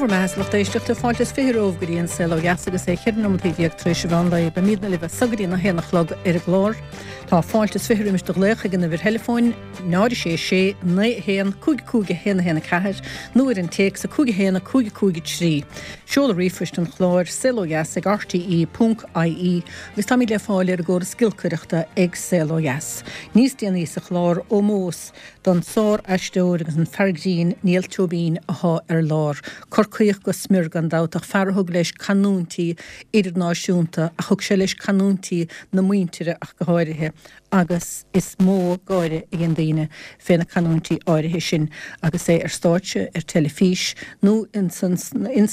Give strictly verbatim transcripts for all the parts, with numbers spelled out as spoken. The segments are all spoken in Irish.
Bhur mbeatha, a lucht éisteachta, fáilte is fiche romhaibh go dtí an Saol Ó Dheas agus é ceithre nóiméad déag tar éis an mheán lae. Beimidne libh as so go dtí a haon a chlog ar an gclár. Tá fáilte is fiche roimis do ghlaoch ag an uimhir theileafóin náid sé sé naoi haon cúig cúig a haon a haon a ceathair nó ar an téacs a cúig a haon a cúig cúig a trí. Seoladh ríomhphoist an chláir saol ó dheas ag R T E ponc I E agus táimid le fáil ar an gcóras giolcaireachta ag Saol Ó Dheas. Níos déanaí sa chlár, ómós don sár-aisteoir agus an fear grinn Niall Tóibín atá ar lár. Corcaíoch go smior gan dabht, ach fear a thug leis canúintí idirnáisiúnta, ach thug sé leis canúintí na muintire ach go háirithe, agus is mó gáire a dhein daoine fé na canúintí áirithe sin agus é ar stáitse, ar teilifís nó ins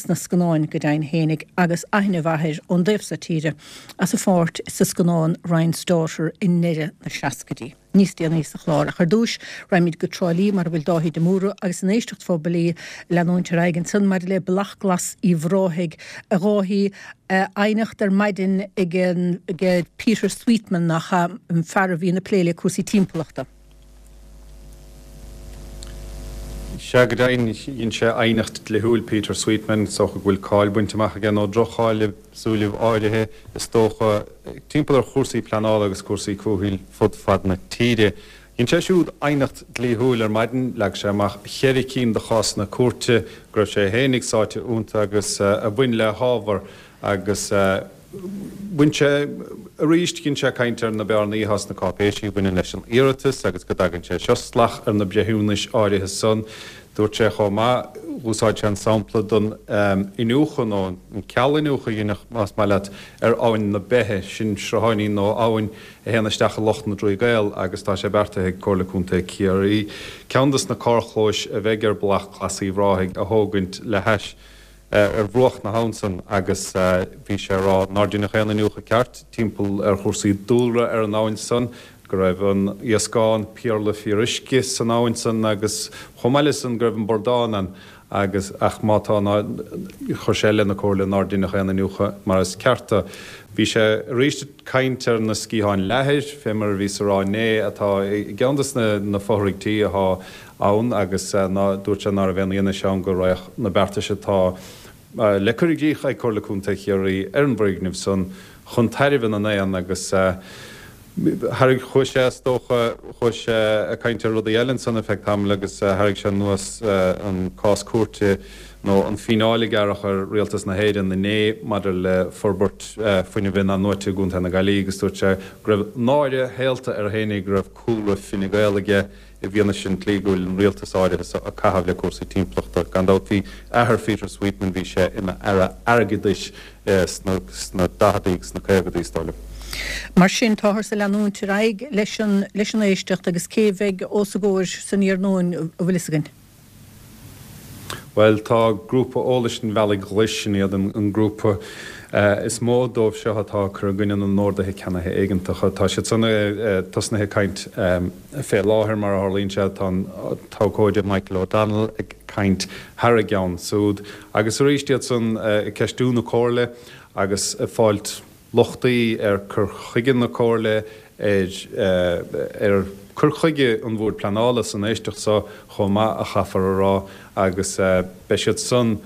na scannáin go deimhin fhéinig, agus aithne mhaith air ón dtaobh seo tíre as a pháirt sa scannán Ryan's Daughter i ndeireadh na seascaidí. Níos déanaí sa chlár, ach ar dtús raghaimid go Trá Lí mar a bhfuil Dáithí de Mórdha agus an éisteacht phobail ag leanúint ar aghaidh ansan maidir le Bealach Glas Uíbh Ráthaigh. A Dháithí, aighneacht ar maidin ag ag Peter Sweetman, nach ea, an fear a bhíonn ag plé le cúrsaí timpeallachta. Sea, go deimhin, dhein sé aighneacht dlíthiúil, Peter Sweetman, is dócha go bhfuil cáil bainte amach aige, nó droch-cháil i súilibh áirithe, is dócha, timpeall ar chúrsaí pleanála agus cúrsaí comhshaoil fud fad na tíre. Dhein sé siúd aighneacht dlíthiúil ar maidin, leag sé amach cheithre cinn de chásanna cúirte go raibh sé fhéinig sáite iontu agus a bhain le hábhar agus bhain sé arís, dhein sé caint ar na bearnaí atá sna cáipéisí a bhaineann leis an iarratas agus go dtagann sé seo salach ar na breithiúnais áirithe san. Dúirt sé chomh maith, dh'úsáid sé an sampla don iniúchadh nó an ceal-iniúchadh a deineadh, más maith leat, ar Abhainn na Beithe, sin srutháinín nó abhainn a théann isteach i Loch na dTrí gCaol agus tá sé beartaithe ag Comhairle Contae Chiarraí ceann dos na carrchlóis a bheidh ar Bealach Glas Uíbh Ráthaigh a thógaint le hais ar bhruach na habhann san agus bhí sé a rá nár deineadh aon iniúchadh ceart timpeall ar chúrsaí dúlra ar an abhainn san, go raibh an iasc ann, péarla fíoruisce san abhainn san agus chomh maith le san go raibh an bradán ann agus ach má tá ná chuir sé i leith na Comhairle nár deineadh aon iniúchadh mar is ceart do. Bhí sé arís ag caint ar na sciatháin leathair, fé mar a bhíos a rá inné, atá i gceann des na fothraigh tí athá ann agus ná dúirt sé ná raibh aon fhianaise ann go raghadh na beartais atá le cur i gcrích ag Comhairle Contae Chiarraí ar an bhfoirgneamh san chun tairbhe na n-éan agus thairg chuaigh sé is dócha chuaigh sé ag caint ar rudaí eile ansan ar feadh tamaill agus thairg sé anuas an cás cúirte nó an fíneáil a gearradh ar Rialtas na hÉireann inné maidir le forbairt fuinnimh in-athnuaite i gContae na Gaillimhe agus dúirt sé go raibh náire shaolta air fhéinig go raibh cúlra Fine Gael aige i bhfianaise an tslí go bhfuil an rialtas áirithe seo ag caitheamh le cúrsaí timpeallachta. Gan dabht bhí athair Pheter Sweetman, bhí sé ina aire airgeadais sna sna daicheadaí agus sna caogadaí, is dóigh liom. Mar sin, táthar ag leanúint ar aghaidh leis an leis an éisteacht agus cé bheidh os a gcomhair san iarnóin, an bhfuil fhios againn? Bhuel, tá Grúpa Eolais an Bhealaigh Ghlais, sin iad an grúpa is mó dóibh seo atá ag cur i gcoinne na n-orduithe ceannaithe éigeantacha. Tá siad san tosnaithe ag caint fé láthair, mar a tharlaíonn sé, tá an t-abhcóide Michael O'Donnell ag caint thar a gceann súd. Agus arís iad san ag ceistiú na Comhairle agus ag fáilt lochtaí ar cur chuige na Comhairle, ar cur chuige an Bhoird Pleanála san éisteacht seo chomh maith, a chaithfear a rá, agus beidh siad san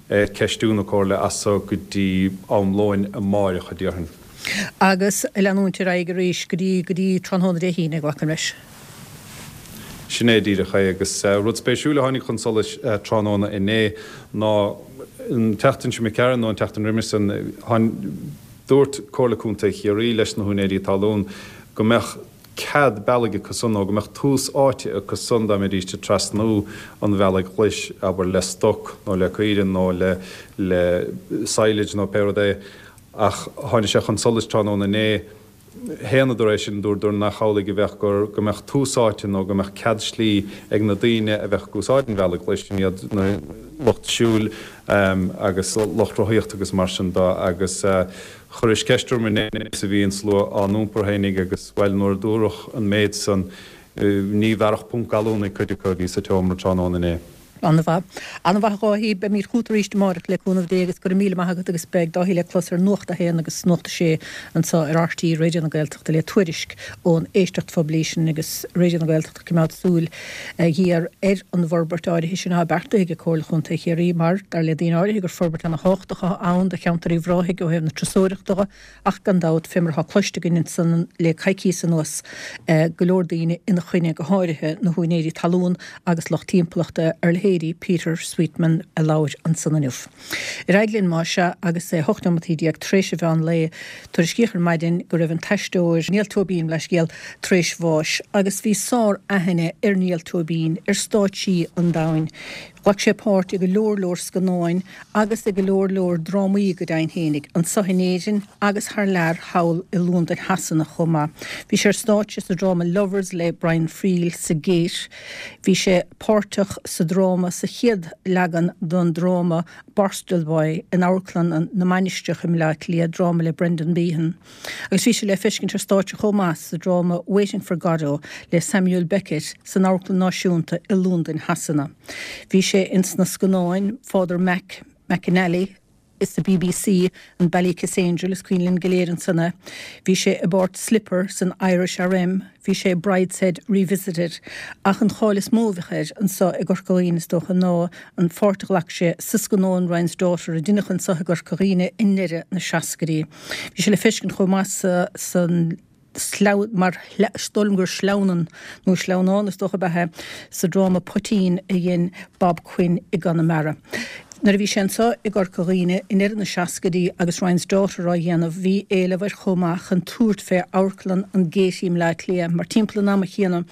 ag ceistiú na Comhairle as so go dtí am lóin amáireach, a déarfainn. Agus ag leanúint ar aghaidh arís go dtí go dtí tráthnóna Dé hAoine, glacaim leis. Sin é díreach é. Agus rud spéisiúil a tháinig chun solais tráthnóna inné ná an tseachtain seo imigh tharainn nó an tseachtain roimis san, dúirt Comhairle Contae Chiarraí leis na húinéirí talún go mbeadh cead bealaigh acu san nó go mbeadh tús áite acu san dá mbeidís ag trasnú an bhealaigh ghlais, abair le stoc nó le caoirigh nó le le silage nó pé rud é. Ach tháinig sé chun solais tráthnóna inné, shéanadar é sin, dúradar nach amhlaidh a bheadh, gur go mbeadh tús áite nó go mbeadh cead slí ag na daoine a bheadh ag úsáid an bhealaigh ghlais, sin iad na lucht siúil agus lucht rothaíochta agus mar sin de. Agus chuiris ceist orm inné is a bhí an slua á n-iompar fhéinig agus, bhuel, nuair a dúradh an méid san, ní bhearrfadh punt gallúnaigh cuid acu a bhí sa tseomra tráthnóna inné. An-mhaith. An-mhaith a Dháithí, beimid chugat arís amárach le cúnamh Dé agus go raibh míle maith agat agus beidh Dáithí le clos ar Nuacht a haon agus Nuacht a sé anseo ar RTÉ Raidió na Gaeltachta le tuairisc ón éisteacht phoiblí sin agus Raidió na Gaeltachta ag coimeád súil ghéar ar an bhforbairt áirithe sin atá beartaithe ag Comhairle Chontae Chiarraí mar, dar le daoine áirithe, gur forbairt ana-thábhachtach atá ann do cheantar Uíbh Ráthaigh ó thaobh na turasóireachta de ach gan dabht, fé mar atá cloiste againn ansan le coicíos anuas, go leor daoine ina choinne, go háirithe na húinéirí talún agus lucht timpeallachta ar leithéidí Peter Sweetman a labhair ansan inniu. Ar aghaidh linn más ea agus é hocht nóimeataí déag tar éis an mheán lae, tuairiscíodh ar maidin go raibh an t-aisteoir Niall Tóibín, leithscéal, tar éis bháis agus bhí sár-aithne ar Niall Tóibín ar stáitsí an domhain. Ghlac sé páirt i go leor leor scannáin agus i go leor leor drámaí go deimhin fhéinig, anso in Éirinn agus thar lear thall i Londain Shasana chomh maith. Bhí sé ar stáitse sa dráma Lovers le Brian Friel sa Gate. Bhí sé páirteach sa dráma sa chéad leagan den dráma Borstal Boy in Amharclann na Mainistreach i mBleá Cliath, dráma le Brendan Behan. Agus bhí sé le feiscint ar stáitse chomh maith sa dráma Waiting for Godot le Samuel Beckett san Amharclann Náisiúnta i Londain Shasana. Bhí sé ins na scannáin Father Mac McAnally sa bbc, an Ballykissangel Angel, is cuimhin linn go léir ansan é. Bhí sé i bpáirt Slipper san Irish RM, bhí sé i Brideshead Revisited. Ach an cháil is mó a bheadh air anso i gCorca Dhuibhne is dócha ná an pháirt a ghlac sé sa scannán Ryan's Daughter a deineadh anso i gCorca Dhuibhne i ndeireadh na seascaidí. Bhí sé le feiscint chomh maith sa san mar is dóigh liom gur sleamhnán nó sleamhnán is dócha ab ea é, sa dráma Poitín a dhein Bob Quinn i gConamara. Nuair a bhí sé anseo i gCorca Dhuibhne i ndeireadh na seascaidí agus Ryan's Daughter á dhéanamh bhí éileamh air chomh maith chun tabhairt fé Amharclann an Gaiety i mBleá Cliath mar timpeall an ama chéanna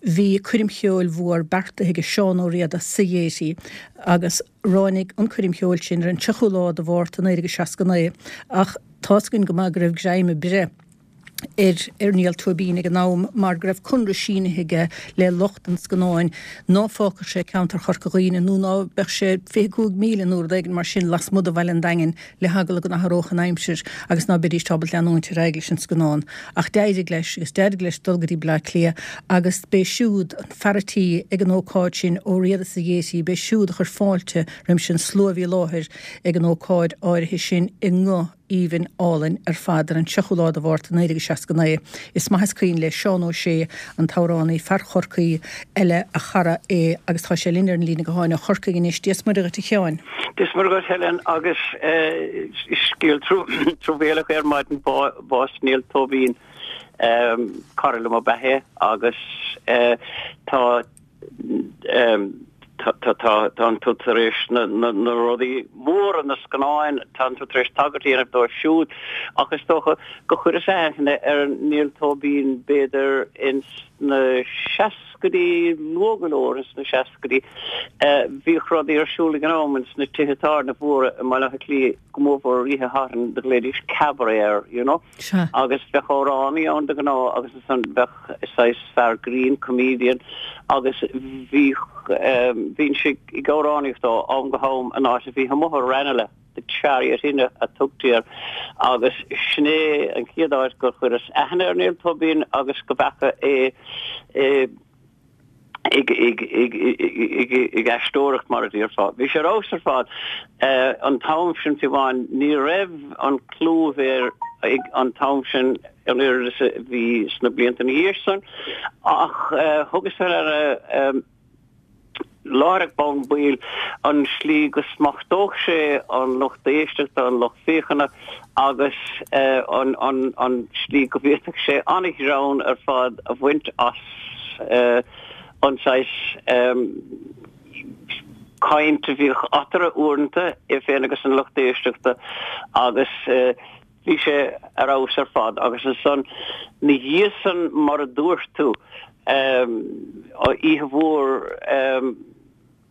bhí coirm cheoil mhór beartaithe ag Seán Ó Riada sa Ghaiety agus ráinig an coirm cheoil sin ar an tríochú lá de Mhárta naoi déag seasca naoi ach tá's againn go maith go raibh greim ag breith ar ar Niall Tóibín ag an am mar go raibh conradh sínithe aige le lucht an scannáin ná fágfadh sé ceantar Chorca Dhuibhne nó ná beadh sé fiche cúig míle nó rud éigin mar sin lasmuigh de bhaile an Daingin le heagla go n-athródh an aimsir agus ná beidís ábalta leanúint ar aghaidh leis an scannán. Ach d'éirigh leis agus d'éirigh leis dul go dtí Bleá Cliath agus b'é siúd an fear a tí ag an ócáid sin Ó Riada sa Ghaiety, b'é siúd a chuir fáilte roimis an slua a bhí i láthair ag an ócáid áirithe sin i nguth aoibhinn álainn ar fad ar an tríochú lá de Mhárta naoi déag seasca naoi. Is maith is cuimhin le Seán Ó Sé, an t-amhránaí, fear Chorcaí eile, a chara é agus tá sé linn ar an líne gutháin ó Chorcaigh anois. Dia is Muire dhuit a Sheáin. Dia is Muire dhuit Helen agus scéal truamhéalach ar maidin bás Niall Tóibín, cara liom ab ea é agus tá Tánn tú tar éis na rudaí móra, na scannáin, tánn tú tar éis tagairt a dhéanamh dóibh siúd ach is dócha go chuireas aithne ar Niall Tóibín b'fhéidir ins na seascaidí, luath go leor ins na seascaidí. Bhíodh rudaí ar siúl ag an am ins na tithe tábhairne mhóra i mBaile Átha Cliath, go mórmhór ar oíche Shathairn, do ghlaoidís cabaret air, you know. Agus bheadh amhránaí ann de ghnáth agus ansan bheadh saghas fear grinn, comedian, agus bhíodh, bhínnse ag amhránaíocht ó am go ham in áit a bhí amuigh i Ranelagh, The Chariot Inn a tugtaí air, agus sin é an chéad áit gur chuireas aithne ar Niall Tóibín agus go bhfeaca é i ag ag aisteoireacht mar a déarfá. Bhí sé ar fheabhas ar fad. An t-am sin fiú amháin ní raibh an clú a bhí air ag an t-am sin an oiread is a bhí sna blianta ina dhiaidh san ach thugas fé ndeara láithreach bonn baill an slí go smachtódh sé an lucht éisteachta, an lucht féachana agus an slí go bhféadfadh sé an-ghreann ar fad a bhaint as an saghas caint a bhíodh eatarthu uaireanta, é féin agus an lucht éisteachta agus bhí sé ar fheabhas ar fad. Agus ansan, 'na dhiaidh san, mar a dúirt tú, oíche mhór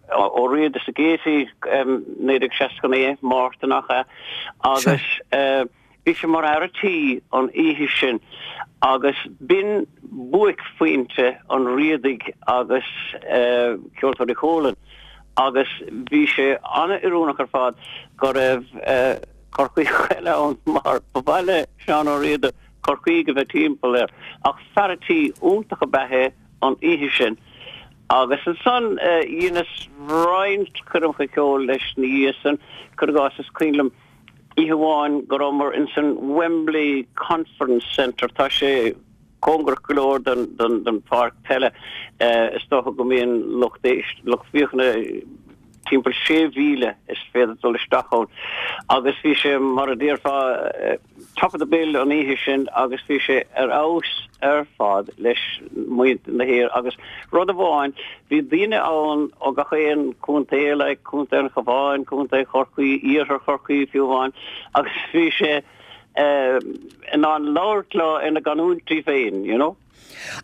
Ó Riada sa Gaiety, naoi déag seasca naoi, Márta nach ea, agus bhí sé mar fhear a tí an oíche sin agus b'in buaicphointe an Riadaigh agus Ceoltóirí Chualann agus bhí sé an-oiriúnach ar fad go raibh Corcaíoch eile ann mar ba mhaith le Seán Ó Riada Corcaígh a bheith timpeall air ach fear a tí iontach ab ea é an oíche sin. Agus ansan dheineas roinnt coirmeacha ceoil leis ina dhiaidh san, cuir i gcás is cuimhin liom oíche amháin go rabhamar ins an Wembley Conference Centre, tá sé cóngarach go leor don don pháirc peile, is dócha go mbíonn lucht éist lucht féachana timpeall sé mhíle is féidir dul isteach ann agus bhí sé mar a déarfá top of the bill an oíche sin agus bhí sé ar fheabhas ar fad leis muintir na hÉireann agus rud amháin bhí daoine ann ó gach aon contae like Contae an Chabháin, Contae Chorcaí, Iarthar Chorcaí fiú amháin agus bhí sé in ann labhairt leo ina gcanúintí féin, you know.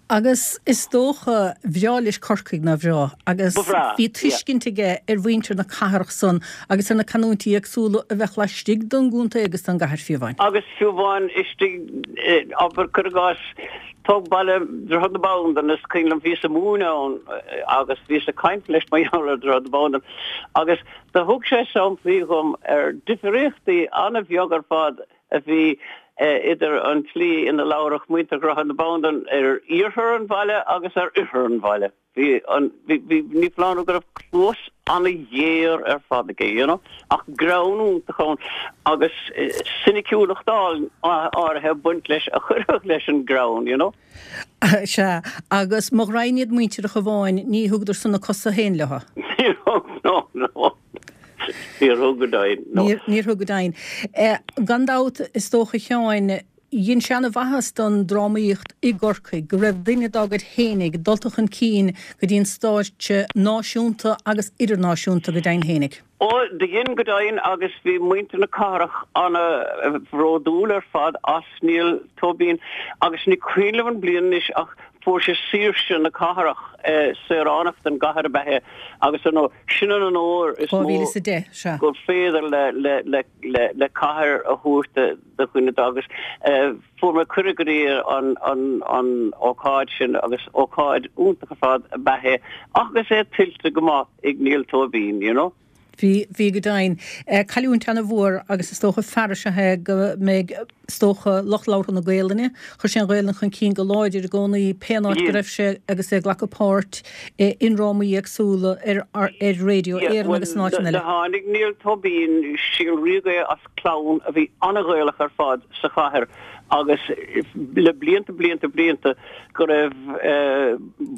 Agus is dócha, bhreá leis Corcaigh, nár bhreá? Agus bhí tuiscint aige ar mhuintir na cathrach san agus ar na canúintí éagsúla a bheadh laistigh don gcontae agus don gcathair fiú amháin. Agus fiú amháin istigh, abair, cuir i gcás, tóg baile Dhroichead na Bandan, is cuimhin liom bhíos ag múineadh ann agus bhíos ag caint leis mar gheall ar Dhroichead na Bandan agus do thug sé samplaí dhom ar difríochtaí an-bheag ar fad a bhí idir an tslí ina labhradh muintir Dhroichead na Bandan ar iarthar an bhaile agus ar oirthear an bhaile. Bhí an, bhí, bhí, ní foláir nó go raibh cluas an-ghéar ar fad aige, you know, ach greann iontach ann agus soiniciúlacht áirithe ag baint leis a chuirfeadh leis an greann, you know. Sea, agus mo ghraidhin iad muintir an Chabháin, ní thugadar san a cosa féin leo. Níor thug, no, no. Níor thug go deimhin, no. Níor thug go deimhin. Gan dabht, is dócha, a Sheáin, dhein sé ana-mhaitheas don drámaíocht i gCorcaigh go raibh duine dá gcuid fhéinig dulta chun cinn go dtí an stáitse náisiúnta agus idirnáisiúnta go deimhin fhéinig. Ó, do dhein go deimhin agus bhí muintir na cathrach ana-bhródúil ar fad as Niall Tóibín agus ní cuimhin liom an bliain anois ach Fuair sé saoirse na cathrach, saoránach den gcathair ab ea é agus ar ndóigh, sin an onóir is mó gur féidir le cathair a thabhairt do dhuine dá agus fuair mé cuireadh go dtí an ócáid sin agus ócáid iontach ar fad ab ea é agus é tuillte go maith ag Niall Tóibín, you know. Bhí, bhí go deimhin. Cailliúint ana-mhór agus is dócha fear is ea é go mbeidh, is dócha, lucht labhartha na Gaelainne, chuir sé an Ghaelainn chun cinn go láidir i gcónaí pén áit go raibh sé agus é ag glacadh páirt i ndrámaí éagsúla ar ar Radio Éireann agus in áiteanna eile. Tháinig Niall Tóibín, síol ríoga é as clann a bhí ana-Ghaelach ar fad sa chathair agus le blianta, blianta, blianta go raibh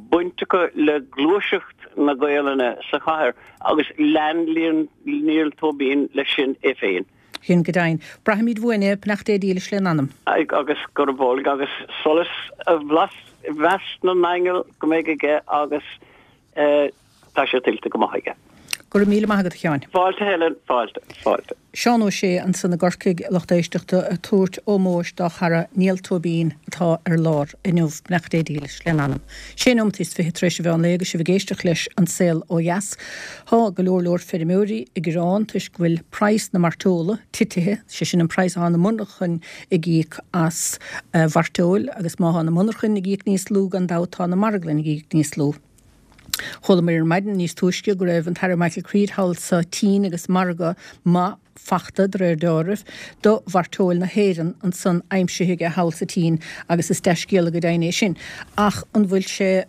baint acu le gluaiseacht na Gaelainne sa chathair. Agus lean Niall Tóibín leis sin é féin. Sin go deimhin. Braithfimid uainn é, beannacht Dé dílis lena anam. Agus gurb olc agus solas i measc na n-aingeal go mbeidh aige agus tá sé tuillte go maith aige. Go raibh míle maith agat, a Sheáin. Fáilte, Helen, fáilte, fáilte. Seán Ó Sé ansan i gCorcaigh, lucht éisteachta, ag tabhairt ómóis dá chara Niall Tóibín atá ar lár inniu. Beannacht Dé dílis lena anam. Sé nóimeat is fiche tar éis an mheán lae agus sibh ag éisteacht leis An Saol Ó Dheas. Tá go leor leor feirmeoirí ag gearán toisc go bhfuil praghas na mairteola titithe, sé sin an praghas atá na monarchain ag íoc as mhairteoil agus má thá na monarchain ag íoc níos lú gan dabht tá na marglainn ag íoc níos lú. Chualamar ar maidin níos túisce go raibh an tAire Michael Creed thall sa tSín agus margadh maith fachta, de réir dealraimh, do mhairteoil na hÉireann ansan aimsithe aige thall sa tSín agus is dea-scéala go deimhin é sin. Ach an bhfuil sé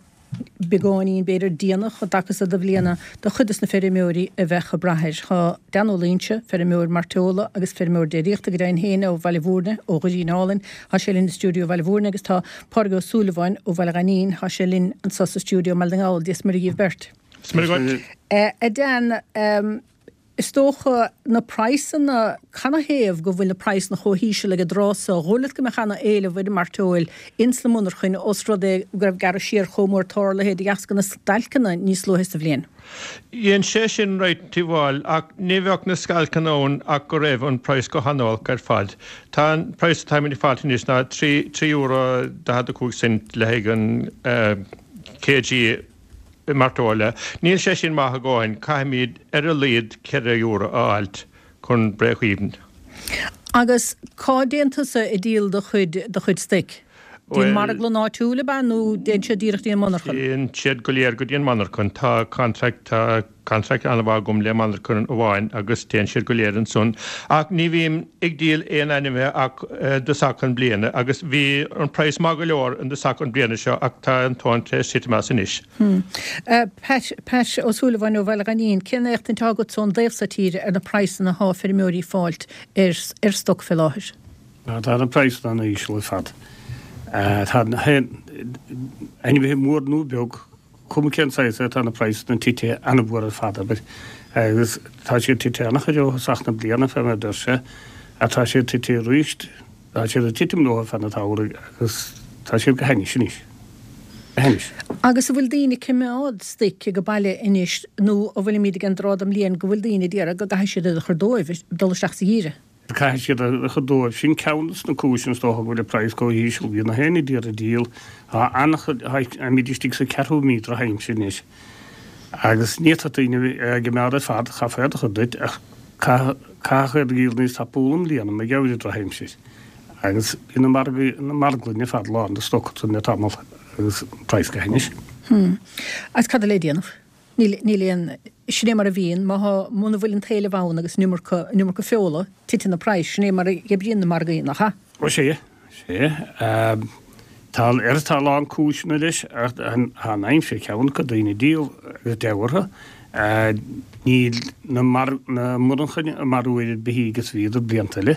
beagáinín, b'fhéidir, déanach i dtaca so do bhliana do chuid de na feirmeoirí a bheadh ag brath air? Tá Dan Ó Loingsigh, feirmeoir mairteola agus feirmeoir déiríochta go deimhin féin ó Bhaile Bhúirne, ó Dhoirí Álainn, tá sé linn i stiúideo Bhaile Bhúirne agus tá Pádraig Ó Súilleabháin ó Bhaile Ghainín, tá sé linn anso sa stiúideo i mBaile na nGall. Dia is Muire dhíbh beirt. Is Muire dhuit. A Dan, is dócha na praghsanna, canathaobh go bhfuil na praghsanna chomh híseal ag an dtráth so? Dhóigh leat go mbeadh ana-éileamh ar an mairteoil ins na monarchain os rud é go raibh gearradh siar chomh mór tarlaithe de dheasca na stailceanna níos luaithe sa bhliain? Dhein sé sin right amháil ach ní bheadh na stailceanna ann ach go raibh an praghas go han-olc ar fad. Tá an praghas atáimid ag fáilt anois ná trí trí euro daichead a cúig cent le haghaidh an kg mairteola. Níl sé sin maith a dhóthain, caithfimid ar a laghad ceithre euro a fháilt chun break even. Agus cá dtéann tusa ag díol do chuid do chuid stoic? Dtí an marglann áitiúil ab ea nó dtéann sé díreach dtí an monarchan? Téann siad go léir go dtí an monarchan. Tá contract, tá contract an-mhaith agam le monarcha amháin agus téann siad go léir ansan. Ach ní bhím ag díol aon ainmhithe ach i dtosach an bliana agus bhí an praghas maith go leor i dtosach an bliana seo ach tá an tóin tar éis titim as anois. Pat, Pat Ó Súilleabháin ó Bhaile Ghainín, cén éachtaint atá agat ón dtaobh so tíre ar na praghsanna atá feirmeoirí ag fáilt ar ar stoc fé láthair? Tá na praghsanna an-íseal ar fad. Tá na hainmhithe mór nó beag, cuma cén saghas é, tá na praghsanna tite an-mhór ar fad, abair. Agus tá siad tite an-chuid ó thosach na bliana, fé mar a deir sé, ach tá siad tite arís, tá siad ag titim leo ar feadh an tsamhraidh agus tá siad go hainnis anois. Go hainnis. Agus an bhfuil daoine ag coimeád stoic ag baile anois nó an bhfuilimid ag an dtráth den mbliain go bhfuil daoine ag iarraidh go gcaithfidh siad iad a chur dóibh, dul isteach sa gheimhreadh? Caithfidh siad a chur dóibh. Sin ceann des na cúiseanna is dócha go bhfuil an praghas chomh híseal. Bíonn na héinne d'iarraidh díol. Tá an-chuid, táimid istigh sa ceathrú mí drochaimsir anois agus ní fhéadfadh daoine é a choimeád ar fad, chaithfeá iad a chur duit ach caithfear iad a dhíol níos tapúla i mbliana mar gheall ar an drochaimsir. Agus bhí na margaí, na marglainne ar fad lán de stoc ansan le tamall agus an praghas go hainnis. Agus cad le déanamh? Níl, níl aon, sin é mar a bhíonn, má thá, muna bhfuil an t-éileamh ann agus an iomarca, an iomarca feola, titeann na praghais, sin é mar a oibríonn na margaí, nach ea? Ó sea, sea. Tá, ar, tá a lán cúiseanna leis ach tá an aimsir ceann acu, daoine ag díol agus deabhadh orthu. Níl na mar, na monarchain ag marú oiread beithígh is a bhíodar blianta eile.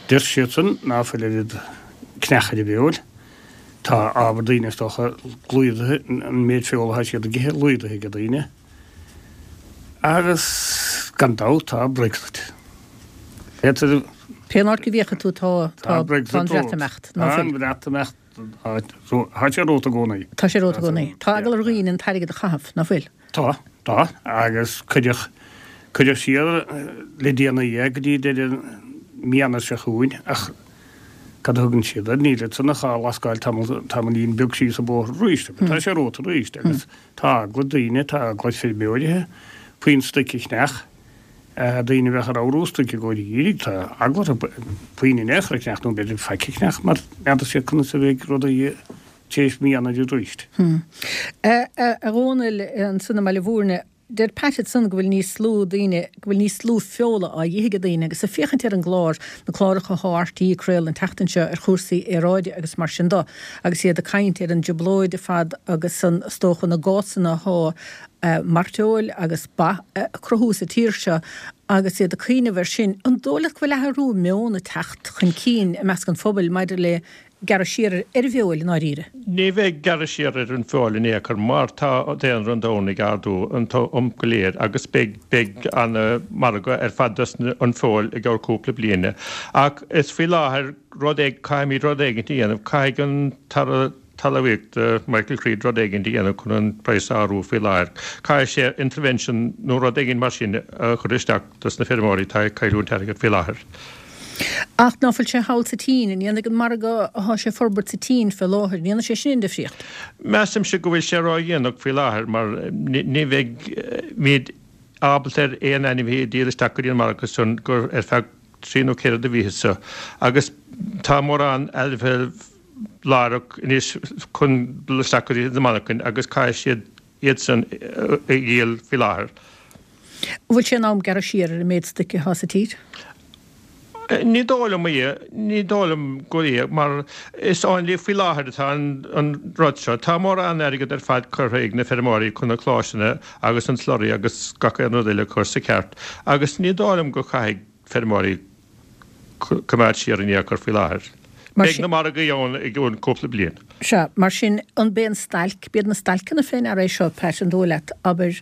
Deir siadsan ná fuil oiread cneachair ar an bhfeoil. Tá ábhar daoine is dócha laghdaithe, an méid feola atá siad ag ithe laghdaithe ag daoine. Agus gan dabht tá Brexit. Féadtar. Pén áit go bhféachfaidh tú tá tá an Bhreatimeacht. Tá an Bhreatimeacht, tá sé romhat i gcónaí. Tá sé romhat i gcónaí. Tá eagla ar dhaoine an t-airgead a chaitheamh, ná fuil? Tá, tá. Agus cuireadh, cuireadh siar le déanaí é go dtí deireadh mí Eanáir seo chugainn ach cad a thugann siad air, níl ansan ach dhá lascáil tamall, tamaillín beag síos an bóthar arís. Tá sé romhat arís agus tá eagla ar daoine, tá eagla ar feirmeoirithe puinn stoic a cheannach, daoine a bheadh ag ramhrú stoic i gcomhair an gheimhridh, tá eagla orthu puinn in aon chor a cheannach nó b'fhéidir faic a cheannach mar n'fheadar siad conas a bheidh rudaí tar éis mí Eanáir arís. A Dhónaill, ansan i mBaile Mhúirne, deir Pat ansan go bhfuil níos lú daoine, go bhfuil níos lú feola á dh'ithe ag daoine agus ag féachaint ar an gclár, na cláracha athá RTÉ ag craoladh an tseachtain seo ar chúrsaí aeráide agus mar sin do, agus iad ag caint ar an dtrioblóid ar fad agus an, is dócha, na gásanna athá mairteoil agus ba a cruthú sa tír seo agus iad ag cuimhneamh air sin, an dóigh leat go bhfuil athrú meoin ag teacht chun cinn i measc an phobail maidir le gearradh siar ar an bhfeoil i ndáiríre? Ní bheidh gearradh siar ar an bhfeoil in aon chor mar tá daonra an domhain ag ardú an t-am go léir agus beidh beidh ana margadh ar fad dos an feoil i gceann cúpla bliana. Ach is faoi láthair rud éig caithfimid rud éigint a dhéanamh, caithfidh an tAire Talmhaíochta Michael Creed rud éigint a dhéanamh chun an praghas a ardú faoi láthair. Caithfidh sé intervention nó rud éigint mar sin a chur isteach dos na feirmeoirí atá ag cailliúint airgead faoi láthair. Ach ná fuil sé thall sa tSín? An ndéanfaidh an margadh athá sé ag forbairt sa tSín fé láthair, an ndéanfaidh sé sin aon difríocht? Measaimse go bhfuil sé ródhéanach faoi láthair mar ní bheidh muid ábalta ar aon ainmhí a dhíol isteach go dtí an margadh san go ar feadh trí nó ceithre de mhíthe so agus tá mórán ainmhithe láithreach anois chun dul isteach go dtí na monarchain agus caithfidh siad iad san a dhíol faoi láthair. An bhfuil sé in am gearradh siar ar an méid stoic athá sa tír? Ní dóigh liom é, ní dóigh liom gur é, mar is amhlaidh faoi láthair atá an rud seo. Tá mórán airgead ar fad curtha ag na feirmeoirí chun na clóiseanna agus an slurry agus gach aon rud eile a chur sa cheart agus ní dóigh liom go chaithfidh feirmeoirí coimeád siar in aon chor faoi láthair. Beidh na margaí ann i gceann cúpla bliain. Sea, mar sin, an b'é an stailc, b'iad na stailceanna fé ndeara é seo, Pat, an dóigh leat, abair,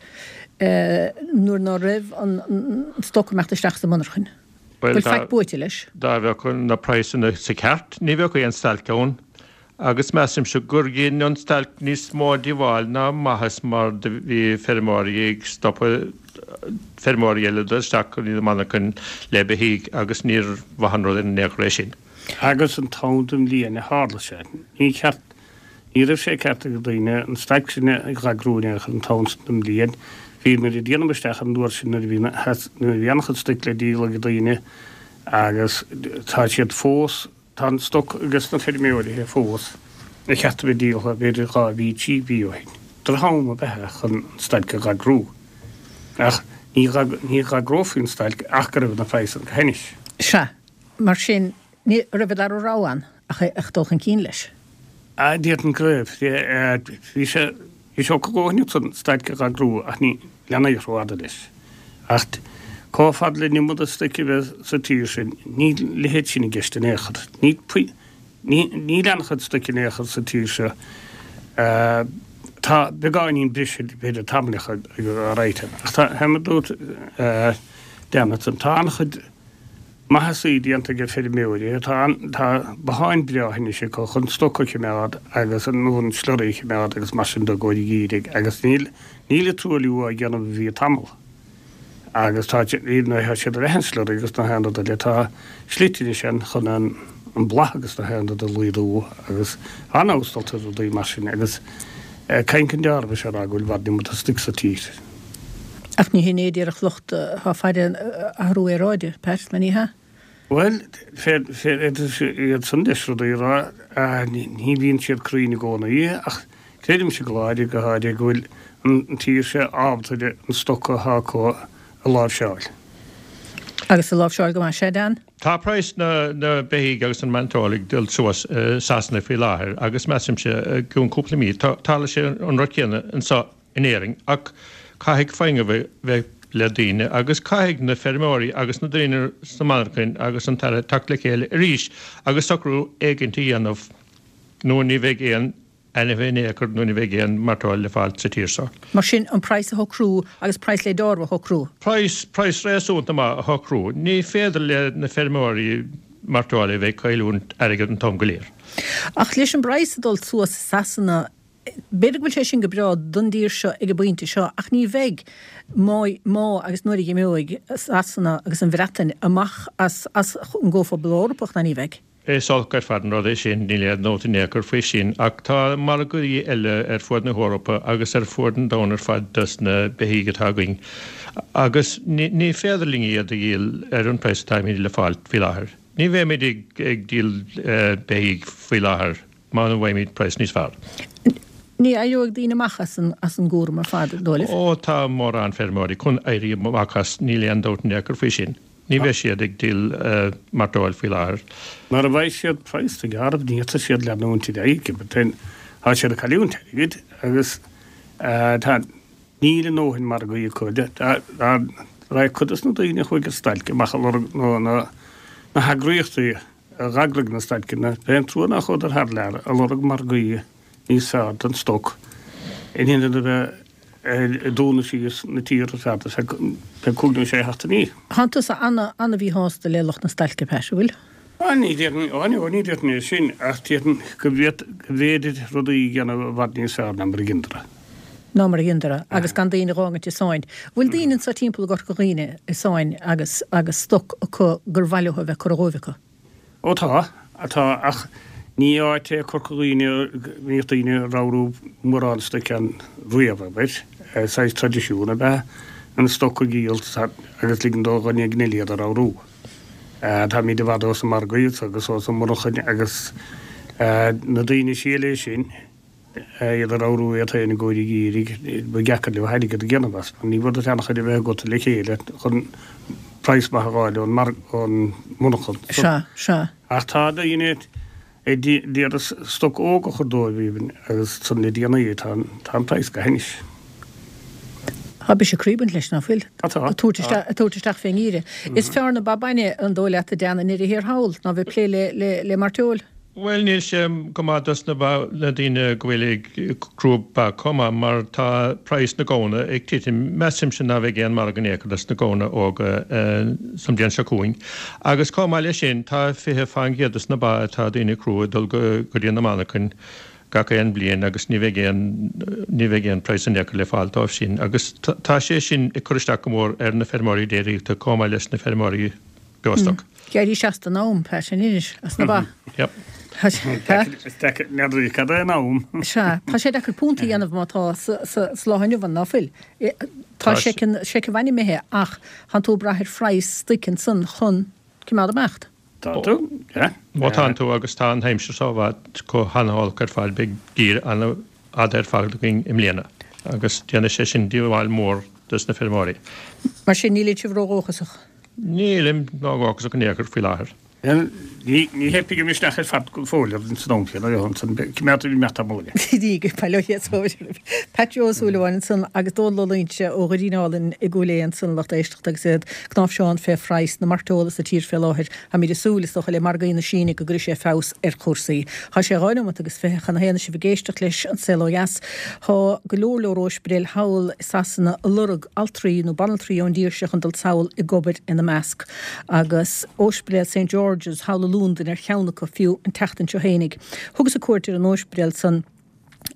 nuair ná raibh an stoc ag imeacht isteach sa monarchain? Bhfuil faic buaite leis? Dá bheadh na praghsanna sa cheart, ní bheadh aon stailc ann. Agus measaimse gur dhein an stailc níos mó díobháil ná maitheas mar do bhí feirmeoirí ag stopadh feirmeoirí eile dul isteach go dtí na monarchain le beithígh agus níor mhaith an rud in aon chor é sin. Agus an t-am den bhliain a tharla sé, ní ceart, ní raibh sé ceart ag daoine an stailc sin a dh'eagrú in aon chor an t-am sin den bhliain. Bhíomar ag déanamh isteach an uair sin nuair a bhí nuair a bhí an-chuid stoic le díol ag daoine agus tá siad fós, Tá an stoc ages na feirmeoirithe fós ar cheart a bheith díoltha b'fhéidir dhá mhí, trí mhí ó shin. Droch-am ab ea é chun an stailc a dh'eagrú. Ach ní ní dh'agrófaí an stailc ach go raibh na praghsanna go hainnis. Sea, mar sin, ní raibh a dara rogha ann ach ach dul chun cinn leis. Ah, déarfainn go raibh. Bhí sé bhí sé go leor an stailc a dh'eagrú ach ní leanadh rófhada leis. Ach chomh fada le an iomad stoic a bheith sa tír sin, níl a leithéid sin i gceist in aon chor. Ní ní ní leanfadh stoic in aon chor sa tír seo. Tá beagáinín briseadh b'fhéidir tamaillíoch ag rite. Ach tá mar a dúirt Dan ansan, tá an-chuid maitheasaí déanta ag feirmeoirí. Tá tá botháin breá anois acu chun stoc a choimeád agus an an slurry a choimeád agus mar sin de i gcomhair an gheimhridh agus níl níl an truailliú á dhéanamh a bhí tamall. Agus tá nuair atá siad ar an slurry agus na haon rud eile tá slite anois ann chun an an bláth agus na haon rud a laghdú agus an-fheabhas dulta ar rudaí mar sin agus caint an deárbh is ea a rá go bhfuil i bhfad níos mó stoic sa tír. Ach ní hin é a déarfadh lucht atá ag faire athrú aeráide, Pat, nó ní hea? Bhuel, féadfaidh iad san deis rudaí a rá, ní bhíonn siad cruinn i gcónaí ach creidimse go láidir, go háirithe, go bhfuil an tír seo ábalta an stoc atá acu a láimhseáil. Agus a láimhseáil go maith, sea, Dan? Tá praghas na na beithígh agus an mairteoil ag dul suas i Sasana faoi láthair agus measaimse i gcionn cúpla mí tarlóidh sé an rud céanna anseo in Éirinn ach caithfidh foighne bheith le daoine agus caithfidh na feirmeoirí agus na daoine sna monarchain agus an tAire teacht le chéile arís agus socrú éigint a dhéanamh nó ní bheidh aon ainmhithe in aon chor nó ní bheidh aon mairteoil le fáil sa tír seo. Mar sin, an praghas a shocrú agus praghas le deáramh a shocrú. Praghas, praghas réasúnta maith a shocrú. Ní féidir le na feirmeoirí mairteola a bheith ag cailliúint airgead an t-am go léir. Ach leis an bpraghas ag dul suas i Sasana, b'fhéidir go bhfuil sé sin go breá don dtír seo ag an bpointe seo, ach ní bheidh má, má agus nuair a imeoidh Sasana agus an Bhreatain amach as, as an gComhphobal Eorpach, ná ní bheidh. Is olc ar fad an rud é sin, níl aon dabht in aon chor faoi sin, ach tá margaí eile ar fuaid na hEorpa agus ar fuaid an domhain ar fad dos na beithígh atá againn agus ní féidir linn iad a dhíol ar an praghas atáimid le fáil faoi láthair. Ní bheimid ag díol beithígh faoi láthair muna bhfaighimid praghas níos fearr. Ní éireoidh daoine amach as an as an gcúram ar fad, an dóigh libh? Ó, tá mórán feirmeoirí chun éirí amach as, níl aon dabht in aon chor faoi sin. Ní bheidh siad ag díol mairteoil faoi láthair. Mara bhfaighidh siad praghas do ghearradh, ní fhéadfaidh siad leanúint ar aghaidh. Tá siad ag cailliúint airgid agus tá, níl a ndóthain margaí acu. Raghaidh cuid dos na daoine a chuaigh ar stailc amach ag lorg nó na heagraíochtaí a dh'eagraigh na stailceanna, b'é an trua nár chuadar thar lear ag lorg margaí níos fearr don stoc in ionad a bheith ag dúnadh síos na tíre ar fad ar feadh cúig nó sé sheachtainí. Tánn tusa ana-mhíshásta le lucht na stailce, Pat, an bhfuil? Á, ní déarfainn, á, ní déarfainn é sin, ach déarfainn go bhféidir rudaí a dhéanamh i bhfad níos fearr ná mar a dheineadar. Ná mar a dheineadar, agus gan daoine a dh'fhágaint i sáinn. Bhfuil daoine anso timpeall i gCorca Dhuibhne i sáinn agus agus stoc acu gur mhaith leo a bheith curtha dhóibh acu? Ó tá, tá, ach ní áit é Corca Dhuibhne a mbíodh daoine ag ramhrú mórán stoic ann riamh, abair. Saghas traidisiún ab ea an stoc a dhíol agus ligean do dhuine éigin eile iad a ramhrú. Táimid i bhfad ós na margaí agus ós na monarchain agus na daoine is sia léi sin, iad a ramhrú iad féin i gcomhair an gheimhridh, ba dheacair leo airgead a dhéanamh as, mar ní bhfuair duit an-chuid a bheith agat le chéile chun praghas maith a dh'fháil ón ón monarchan. Sea, sea. Ach tá daoine ag d'iarraidh stoc óg a chur dóibh even agus san le déanaí tá tá an praghas go hainnis. Tá biseach croí ag baint leis, ná fuil? Tá, tá. Ag tabhairt isteach, ag tabhairt isteach fén ngeimhreadh. Is fearr na ba bainne, an dóigh leat, a Dan, i ndeireadh thiar thall, ná bheith ag plé le, le, le mairteoil? Bhuel, níl sé go maith dos na ba, na daoine go bhfuil ag crú ba chomh maith mar tá praghas na gamhna ag titim. Measaimse ná bheidh aon margadh in aon chor dos na gamhna óga sa mbliain seo chugainn. Agus chomh maith leis sin tá fiche fán gcéad dos na ba atá daoine ag crú ag dul go dtí na monarchain gach aon bhliain agus ní bheidh aon, ní bheidh aon praghas in aon chor le fáil dóibh sin. Agus tá sé sin ag cur isteach go mór ar na feirmeoirí déiríochta chomh maith leis na feirmeoirí beostoc. D'éirigh seasta in am, Pat, in Inis, as na ba. Yep. Is deacair, n'fheadar cad é an am. Sea, tá sé deacair punt a dhéanamh má tá sa lá inniu ann, ná fuil? Tá seiceann, seicheamh bhainne imithe ach tánn tú ag brath ar phraghas stoic ansan chun coimeád ag imeacht. Tá tú, yeah. Ó tánn tú agus tá an aimsir seo i bhfad chomh han-olc ar fad, beidh geimhreadh an-fhada ar fad againn i mbliana agus déanfaidh sé sin díobháil mhór dos na feirmeoirí. Mar sin níl sibh ródhóchasach? Nílim ródhóchasach in aon chor faoi láthair. Ní theipfidh an misneach ar fad go fóill ar an san céanna coimeádfaidh an meata móide. Pat Joe Ó Súilleabháin ansan agus Dónal Ó Loingsigh ó Dhoirín Álainn i gCúil Aodha ansan lucht éisteachta agus iad cnáimhseán fé phraghas na mairteola sa tír fé láthair. Táimid ag súil is dócha le margaí na Síne go gcuirfidh sé feabhas ar chúrsaí. Tá sé dhá nóiméad agus fiche chun a haon sibh ag éisteacht leis an Saol Ó Dheas. Tá go leor leor óispidéil thall i Sasana ag lorg altraí nó banaltraí ón dtír seo chun dul sall ag obair ina measc. Agus Óispidéal St George's thall i Londain ar cheann acu fiú an tseachtain seo fhéinig. Thugas cuairt ar an óispidéal san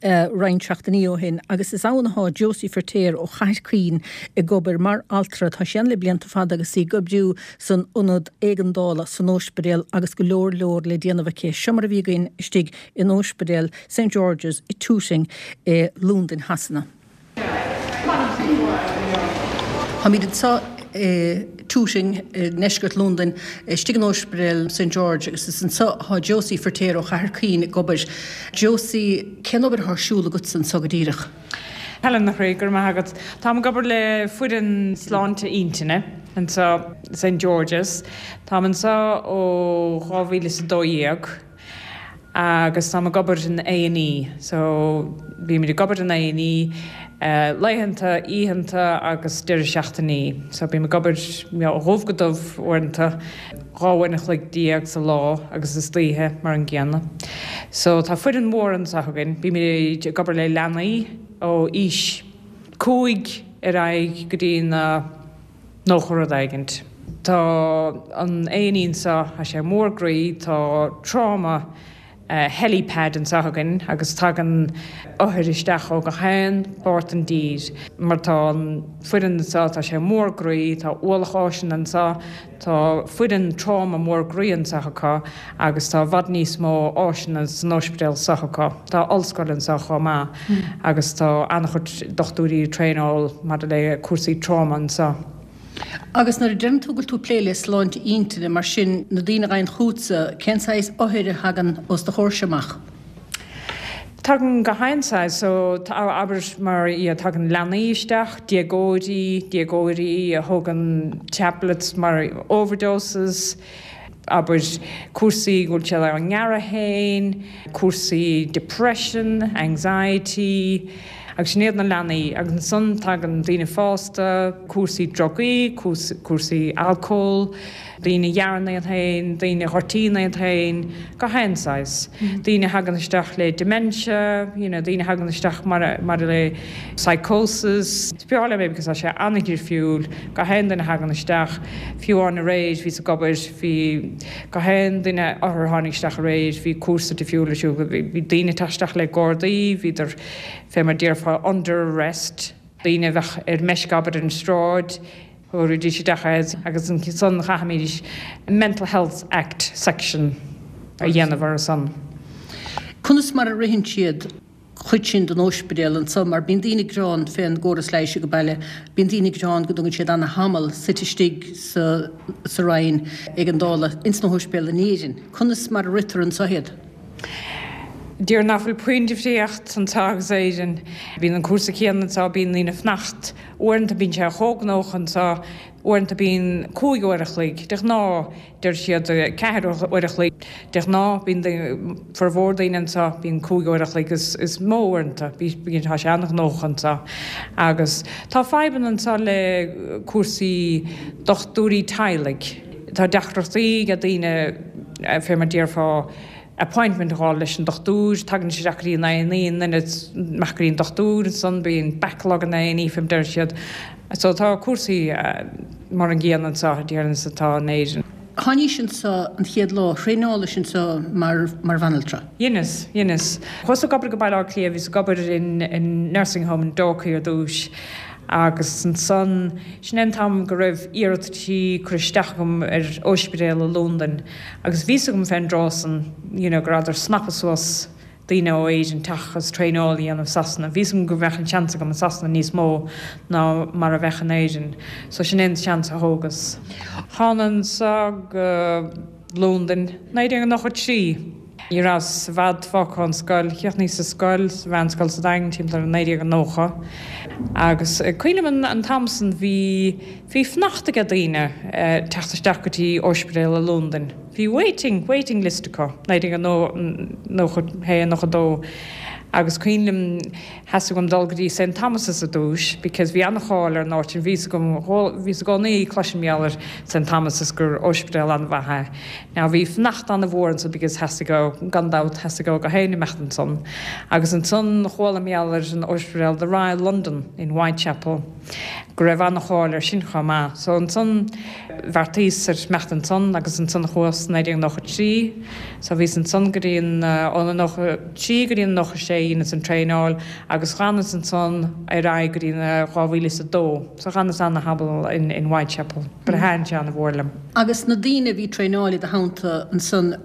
uh, roinnt seachtainí ó shin agus is ann atá Josie Ferter ó Chathair Chaoin ag obair mar altra tá sí ann le blianta fada agus í ag oibriú san ionad éigeandála san óispidéal agus go leor leor le déanamh aici. Seo mar a bhí againn istigh in óispidéal St George's i Tooting i Londain Shasana. Táimid anseo i Tooting i ndeisceart Londain istigh in Óispidéal St George agus is anseo atá Josie Ferter ó Chathair Chaoin ag obair. Josie cén obair atá ar siúl agat anseo go díreach. Helen na chroí gur maith agat. Tá ag obair le foireann sláinte intinne anseo St George's. Tá anseo ó dhá mhíle is a dó dhéag agus tá ag obair in A&E, so bímid ag obair in A&E uh, laethanta, oícheanta agus deireadh seachtainí. So bím ag obair ó dhubh go dubh uaireanta dhá uair an chloig déag sa lá agus istoíche mar an gcéanna. So tá foireann mhór anseo againn, bímid ag obair le leanaí ó aois cúig ar aghaidh go dtí na nócha rud éigint. Tá an A&E anseo tá sé mór groí, tá trauma uh, helipad anseo againn agus tagann othair isteach ó gach aon pháirt den dtír. Mar tá an foireann anseo tá sé mór groí, tá ualach áiseanna anseo, tá foireann trauma mór groí anseo acu agus tá i bhfad níos mó áiseanna san ospidéal seo acu. Tá ollscoil anseo chomh maith mm. agus tá an-chuid dochtúirí traenáil maidir le cúrsaí trauma anseo. Agus nuair a deireann tú go bhfuil tú ag plé le sláinte intinne mar sin na daoine a thagann chugatsa cén saghas othair a thagann os do chomhair amach. Tagann gach aon saghas so abair mar iad tagann leanaí isteach, déagóirí, déagóirí a thógann tablets mar overdoses, abair cúrsaí go bhfuil siad á ngearradh féin, cúrsaí depression, anxiety, agus sin iad na leanaí agus ansan tagann daoine fásta, cúrsaí drugaí, cúrsaí alcól, daoine a ghearrann iad féin, daoine a ghortaíonn iad féin, gach aon saghas. Daoine a thagann isteach le dementia, you know, daoine a thagann isteach mar mar le psychosis. Is breá liom é because tá sé an-difriúil, gach aon duine a thagann isteach, fiú amháin aréir bhíos ag obair, bhí gach aon duine othar a tháinig isteach aréir, bhí cúrsa difriúil ar siúl, bhí daoine ag teacht isteach le gardaí, bhíodar fé mar déarfá under arrest, daoine a bheadh ar meisce abair ar an sráid, thabharfaidís isteach iad agus ansan chaithfimid Mental Health Act section a dhéanamh orthu san. Conas mar a ritheann siad chuid sin den óispidéal anseo mar bíonn daoine ag gearán fén gcóras leighis ag baile, bíonn daoine ag gearán go dtugann siad ana-thamall suite istigh sa sa roinn éigeandála ins na hóispidéil in Éirinn. Conas mar a ritear anseo iad? Déarfainn nach bhfuil puinn difríocht anseo agus Éirinn. Bíonn an cúrsa céanna anseo, bíonn daoine ag fanacht. Uaireanta bíonn sé chomh gnóthach anseo, uaireanta bíonn cúig uair a chloig. De ghnáth, deir siad ceathair uair a chloig. De ghnáth, bíonn formhór daoine anseo, bíonn cúig uair a chloig is, is mó uaireanta. Bíonn, tá sé an-ghnóthach anseo. Agus tá fadhbanna anseo le cúrsaí dochtúirí teaghlaigh. Tá deacrachtaí ag daoine, fé mar déarfá, appointment a fháil leis an dochtúir, tagann siad isteach go dtí an A&E, an duine amach go dtí an dochtúir, ansan bíonn backlog in A&E fé mar deir siad. So tá cúrsaí mar an gcéanna anseo, déarfainn, is atá in Éirinn. Tháinís anseo an chéad lá, thraenálaís anseo mar mar bhanaltra. Dheineas, dheineas. Chuas ag obair go Baile Átha Cliath, bhíos ag obair in in nursing home in Dalkey ar dtúis agus ansan, sin é an t-am go raibh iarrataisí curtha isteach agam ar óispidéal i Londain agus bhí 'fhios agam fén dtráth san you know go rabhadar ag snapadh suas daoine ó Éirinn teacht agus traenáil a dhéanamh i Sasana. Bhí 'fhios agam go mbeadh an seans agam i Sasana níos mó ná mar a bheadh in Éirinn. So sin é an seans a thógas. Thána anseo go Londain naoi déag nócha trí. Ní rabhas i bhfad fágtha ón scoil, chríochnaíos sa scoil, sa mheánscoil sa Daingean timpeall ar naoi déag nócha agus cuimhin liom an t-am san bhí bhí fanacht ag daoine teacht isteach go dtí ospidéal i Londain. Bhí waiting, waiting list acu, naoi déag nócha haon, nócha dó. Agus cuimhin liom theastaigh uaim dul go dtí St Thomas's ar dtús because bhí an-cháil ar an áit sin, bhí 's agam, bhíos i gcónaí ag cloisint mar gheall ar St Thomas's gur ospidéal an-mhaith é. Now bhí fanacht an-mhór ansan because theastaigh ó, gan dabht, theastaigh ó gach éinne imeacht ansan. Agus ansan chuala mar gheall ar an ospidéal The Royal London in Whitechapel go raibh an-cháil air sin chomh maith. So ansan bheartaíos ar imeacht ansan agus ansan chuas naoi déag nócha trí. So bhíos ansan go dtí an, ón nócha trí go dtí an nócha sé dheineas an traenáil agus dh'fhanas ansan ar aghaidh go dtí an dhá mhíle is a dó. So dh'fhanas ana-thamall in, in Whitechapel. But thaitin sé ana-mhór liom. Agus na daoine a bhí traenáil i do theannta ansan,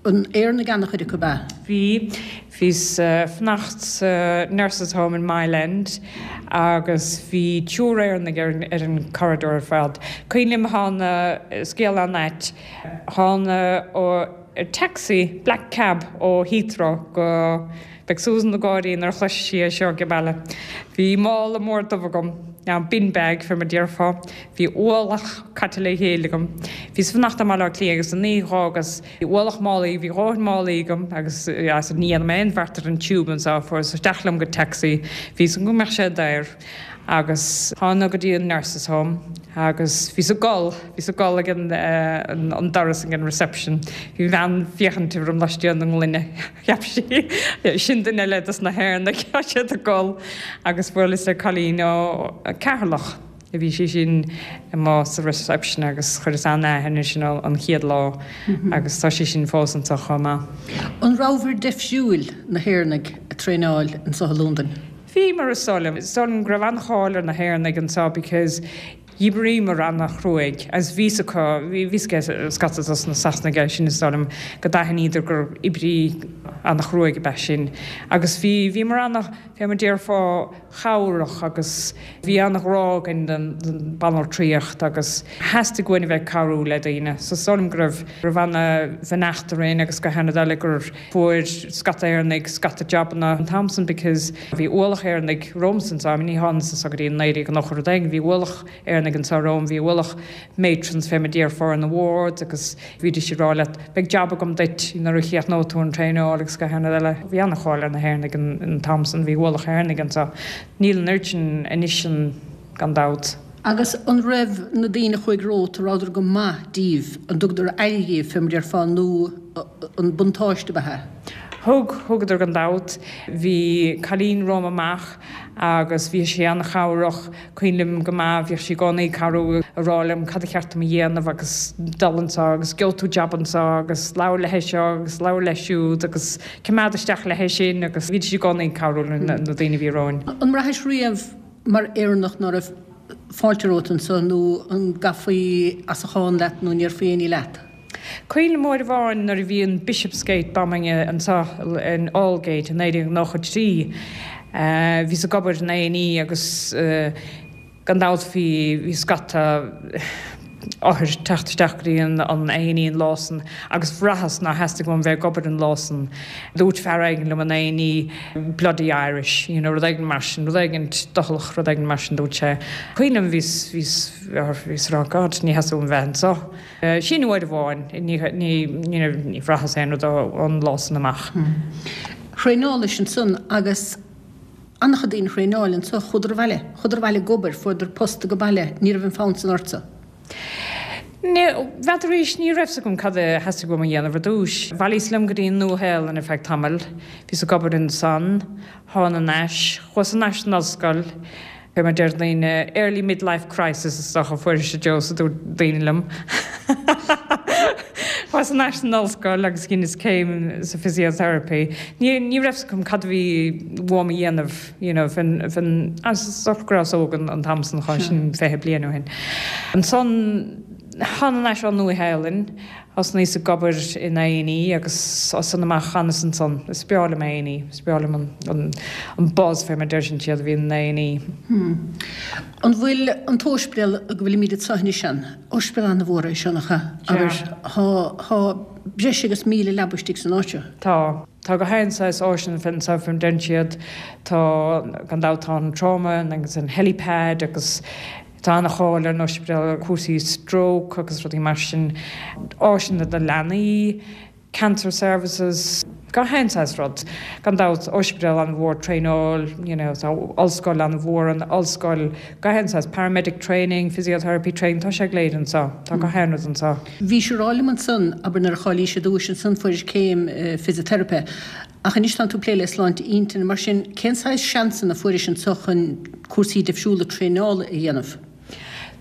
an Éireannaigh an-chuid acu ab ea? Bhí. Bhíos fanacht sa Nurses Home in Mile End agus bhí triúr Éireannaigh ar, ar an corridor ar fad. Cuimhin liom thána, scéal an-ait, thána ó taxi, black cab ó Heathrow go, beidh Susan ag gáirí nuair a chloisfidh sí é seo ag baile. Bhí mála mór dubh agam, now bin bag fé mar déarfá, bhí ualach caite le chéile agam. Bhíos fanacht i mBaile Átha Cliath agus an oíche dh'fhágas, bhí ualach málaí, bhí dhóthain málaí agam agus as ní dhéanfaidh mé aon bheart ar an tube anseo, fuaireas isteach liom go taxi, bhí 's agam go mbeadh sé daor. Agus thána go dtí an Nurses Home agus bhíos ag gol, bhíos ag gol ag an an doras ag an reception. Bhí bean féachaint orm laistiar den ngloine. Cheap sí, sin duine eile dos na hÉireannaigh, tá siad ag gol. Agus bhuaileas le cailín ó Ceatharlach. Bhí sí sin amuigh sa reception agus chuireas an-aithne uirthi sin an chéad lá agus tá sí sin fós anseo chomh maith. An rabhabhair deifriúil, na hÉireannaigh, ag traenáil anseo i Londain? Bhíomar, is dóigh liom. Is dóigh liom go raibh an-cháil ar na hÉireannaigh anseo because dh'oibríomar an-chruaidh agus bhí 's acu, bhí 's ag scata dos na Sasanaigh é sin is dóigh liom go d'aithníodar gur oibrí an-chruaidh ab ea sinn agus bhí, bhíomar ana, fé mar déarfá, chabhrach agus bhí an-ghrá againn don banaltraíocht agus theastaigh uainn a bheith ag cabhrú le daoine. So is dóigh liom go raibh, raibh ana-bheannacht orainn agus go han-rud eile gur fuair scata Éireannaigh scata jabanna an t-am san because bhí ualach Éireannaigh romhamsa anseo, I mean ní thánas anseo go dtí naoi déag nócha rud éigin, bhí ualach Éireannaigh anseo romham, bhí ualach matrons fé mar déarfá ar na wards agus bhídís ag rá leat beidh jab agam duit nuair a chríochnóidh tú an traenáil agus gach aon rud eile. Bhí an-cháil ar na hÉireannaigh an t-am san, bhí ualach Éireannaigh anseo. Níl an oiread sin anois an gan dabht. Agus an raibh na daoine a chuaigh romhat, an rabhadar go maith díbh, an dtugadar aire dhíbh fé mar déarfá nó an buntáiste ab ea é? Thug, thugadar gan dabht. Bhí cailín romham amach agus bhí sí an-chabhrach, cuimhin liom go maith, bhíodh sí i gcónaí ag cabhrú, ag rá liom cad a cheart dom a dhéanamh agus dul anseo agus gheobhaidh tú jab anseo agus labhair léi seo agus labhair léi siúd agus coimeád isteach léi sin agus bhídís i gcónaí ag cabhrú le na daoine a bhí romhainn. An mbraithis riamh mar Éireannach ná raibh fáilte romhat anseo nó an gcaithfí as a chán leat nó an ndéarfaí aon ní leat? Cuimhin liom uair amháin nuair a bhí an Bishopsgate bombing anseo in Aldgate i naoi déag nócha trí, bhíos ag obair in A and E agus gan dabht bhí bhí scata othair teacht isteach go dtí an A and E an lá san agus bhraitheas nár theastaigh uaim bheith ag obair an lá san. Dúirt fear éigin liom in A and E bloody Irish, you know, rud éigin mar sin, rud éigin doicheallach, rud éigin mar sin dúirt sé. Cuimhin liom bhíos bhíos bhíos ag rá God ní theastaigh uaim bheith anseo. Sin uair amháin, ní ní ní bhraitheas aon rud ón lá san amach. Thraenálais ansan agus an-chuid daoine a thraenáil anso, chuadar abhaile, chuadar abhaile ag obair, fuaireadar post age baile, ní raibh an fonn san ortsa. N'fheadar arís, ní raibh 's agam cad a theastaigh uaim a dhéanamh ar dtús. Bhailíos liom go dtí an Nua-Shéalainn ar feadh tamaill, bhíos ag obair ansan, thána arais, chuas thar n-ais san ollscoil, fé mar deir daoine, early mid-life crisis is dócha a fuair sise Joe a dúirt daoine liom. Chuas thar n-ais san ollscoil agus dheineas céim sa physiotherapy. Ní ní raibh 's agam cad a bhí uaim a dhéanamh, you know, fén fén is dócha go rabhas óg an an t-am san chomh sin fiche bliain ó shin. Ansan Thána as an Nua-Shéalainn, thosnaíos ag obair in A and E agus as san amach chanas ansan. Is breá liom A and E, is breá liom an an buzz fé mar deireann siad a bhíonn in A and E. An bhfuil an t-ospidéal go bhfuilimid anseo anois an ospidéal an-mhór é seo nach ea? Agus tá breis agus míle leaba istigh san áit seo. Tá. Tá gach aon saghas áiseanna anseo fé mar deireann siad, tá gan dabht tá an trauma agus an helipad agus tá an-cháil ar an ospidéal cúrsaí stroke agus rudaí mar sin, áiseanna do leanaí, cancer services, gach aon saghas rud. Gan dabht ospidéal an-mhór traenáil, you know, tá ollscoil an-mhór an ollscoil, gach aon saghas paramedic training, physiotherapy training, tá sé go léir anseo, tá gach aon rud anseo. Bhí sé rá liom ansan abair nuair a cháilís ar dtús ansan fuairis céim physiotherapy. Ach anois tá tú ag plé le sláinte intinne mar sin cén saghas seansanna fuairis anseo chun cúrsaí difriúla traenála a dhéanamh?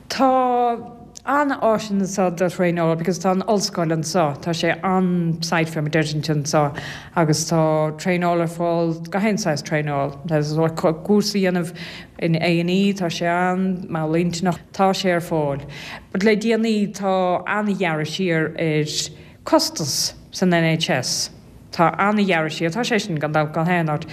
Tá an-áiseanna anseo do thraenáil because tá an ollscoil anseo, tá sé an-site fé mar deireann anseo agus tá traenáil ar fáil gach aon saghas traenáil. Cúrsa a dhéanamh in A and E tá sé an mall intinneach tá sé ar fáil. But le déanaí tá an-ghearradh siar ar costas san N H S. Tá an-ghearradh siar, tá sé sin gan dabht gach aon áit.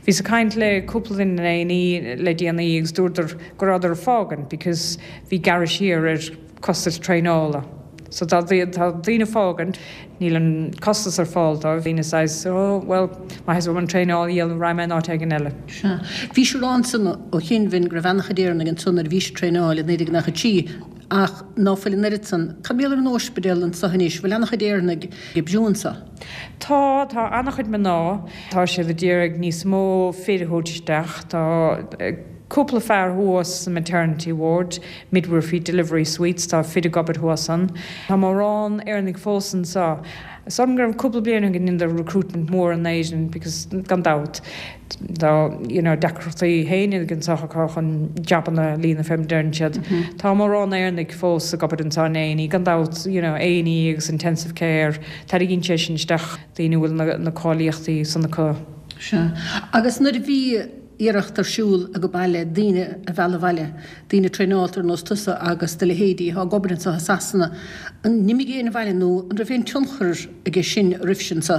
Bhíos ag caint le cúpla duine in A and E le déanaí agus dúradar go rabhadar ag fágaint because bhí gearradh siar ar costas traenála. So tá tá daoine fágaint, níl an costas ar fáil dóibh, daoine saghas oh, well má is an traenáil dhéanamh raghaidh mé in áit éigin eile. Sea. Bhí sé rá ansan ó chinnbhin go raibh an-chuid Éireannaigh ansan nuair a bhí sé traenáil i naoi déag nócha trí ach ná fuil an oiread san. Cad mar gheall ar an ospidéal anseo anois, bhfuil an-chuid Éireannaigh ag oibriú anseo? Tá tá an-chuid mná, tá siad ag iarraidh níos mó fir a thabhairt isteach, tá cúpla fear thuas sa maternity ward, midwifery delivery suites, tá fir ag obair thuas ann. Tá mórán Éireannaigh fós anseo. Som gur cúpla bliain go ndearnadar recruitment mór in Éirinn because gan dabht tá you know, deacrachtaí féin anseo acu chun jabanna a líonadh fé mar deireann siad. Tá mórán Éireannaigh fós ag obair anseo in A and E gan dabht you know, A and E agus intensive care, Tarraingíonn sé sin isteach daoine bhfuil na, na cáilíochtaí san acu. Sea. Agus nuair a bhí iarracht ar siúl ag baile daoine a mhealladh abhaile, daoine traenáilte ar nós tusa agus do leithéidí atá ag obair anseo i Sasana, an n-imigh éinne abhaile nó an raibh aon tionchar aige sin roimh sin seo?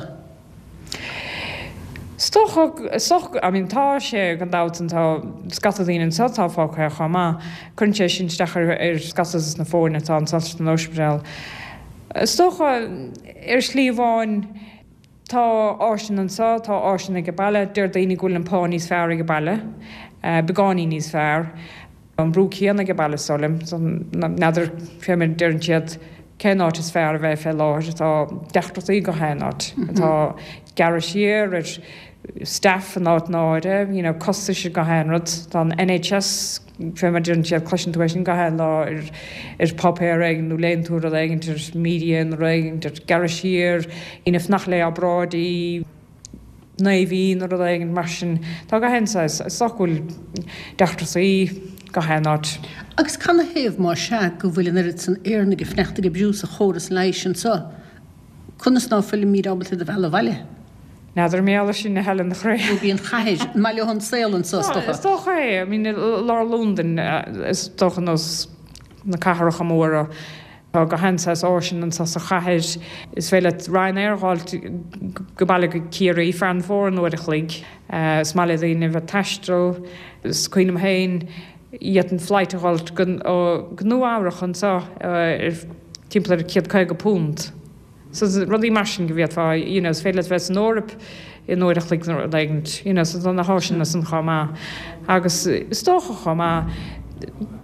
Is dócha, I mean, tá sé gan dabht an tá scata daoine anseo atá fágtha chomh maith. Cuireann sé sin isteach ar, ar scata na foirne atá anseo san ospidéal. Is dócha ar shlí amháin tá áiseanna anseo, tá áiseanna ag baile, deir daoine go bhfuil an pá níos fearr ag baile, uh, beagáinín níos fearr. An brú céanna ag baile solim, so n'fheadar fé mar deireann siad cén áit is fearr a bheith fé láthair tá deacrachtaí gach aon áit. Tá gearradh siar ar staff an áit náire, you know, costais gach aon rud, Tá an N H S fé mar deireann siad cloiseann tú é sin gach aon lá ar ar páipéar éigin nó léann tú rud éigin ar media nó rud éigin ar gearradh siar, ina fanacht le obráidí naoi mhí nó rud éigin mar sin tá gach aon saghas is dócha go bhfuil deacrachtaí gach aon áit. Agus canathaobh má sea go bhfuil an oiread san Éireannaigh ag fanacht ag oibriú sa chóras leighis anseo, Conas ná fuilimid ábalta iad a mhealladh abhaile? N'fheadar mé sin a Helen a chroí. Nó bíonn chathair an maith leo an saol anseo is dócha. Is dócha é, I mean lár Londain is dócha nós na cathracha móra tá gach aon saghas áiseanna anseo sa chathair is féidir leat Ryanair a fháil go baile go Ciarraí Farranfore in uair a chloig. Is maith le daoine bheith taisteal, is cuimhin liom féin d'fhéadfainn flight a fháil go go Nua-Eabhrac anseo ar timpeall ar céad caoga punt. So rudaí mar sin go bhféadfá you know, is féidir leat bheith san Eoraip in uair a chloig nó rud éigin, you know, so tá na háiseanna san chomh maith. Agus is dócha chomh maith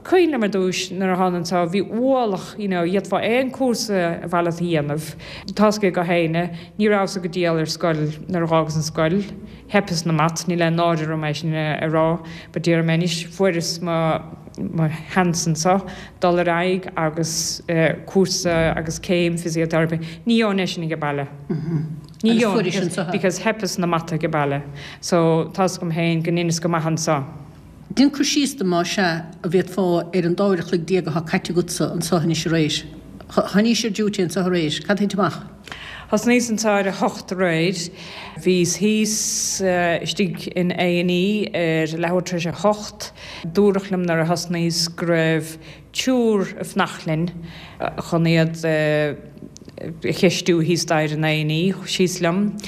cuimhin liom ar dtús nuair a thána anseo bhí ualach you know, d'fhéadfá aon cúrsa a bhealach a dhéanamh. Tá go héine, ní rabhas go diail ar scoil nuair a d'fhágas an scoil, theipeas na maths, níl aon náire orm é sin a rá, ba d'iarr mé anois fuaireas mo mo sheans anseo dul ar aghaidh agus uh, cúrsa agus céim physiotherapy. Ní fhaighinn é sin ag baile. Ní Agus fuairis anseo. because theipeas na mata ag baile. So tá agam féin go ndeineas go maith anseo. Déan cur síos dom más ea a bhféadfá ar an dá uair a chloig déag atá caite agatsa anseo anois aréir. Tháinís ar duty anseo aréir, cad thit amach? Thosnaíos anseo ar a hocht aréir. Bhíos thíos istigh in A and E ar leathuair tar éis a hocht. Dúradh liom nuair a thosnaíos go raibh triúr ag fanacht linn chun iad a cheistiú thíos staighre in A and E. Síos liom.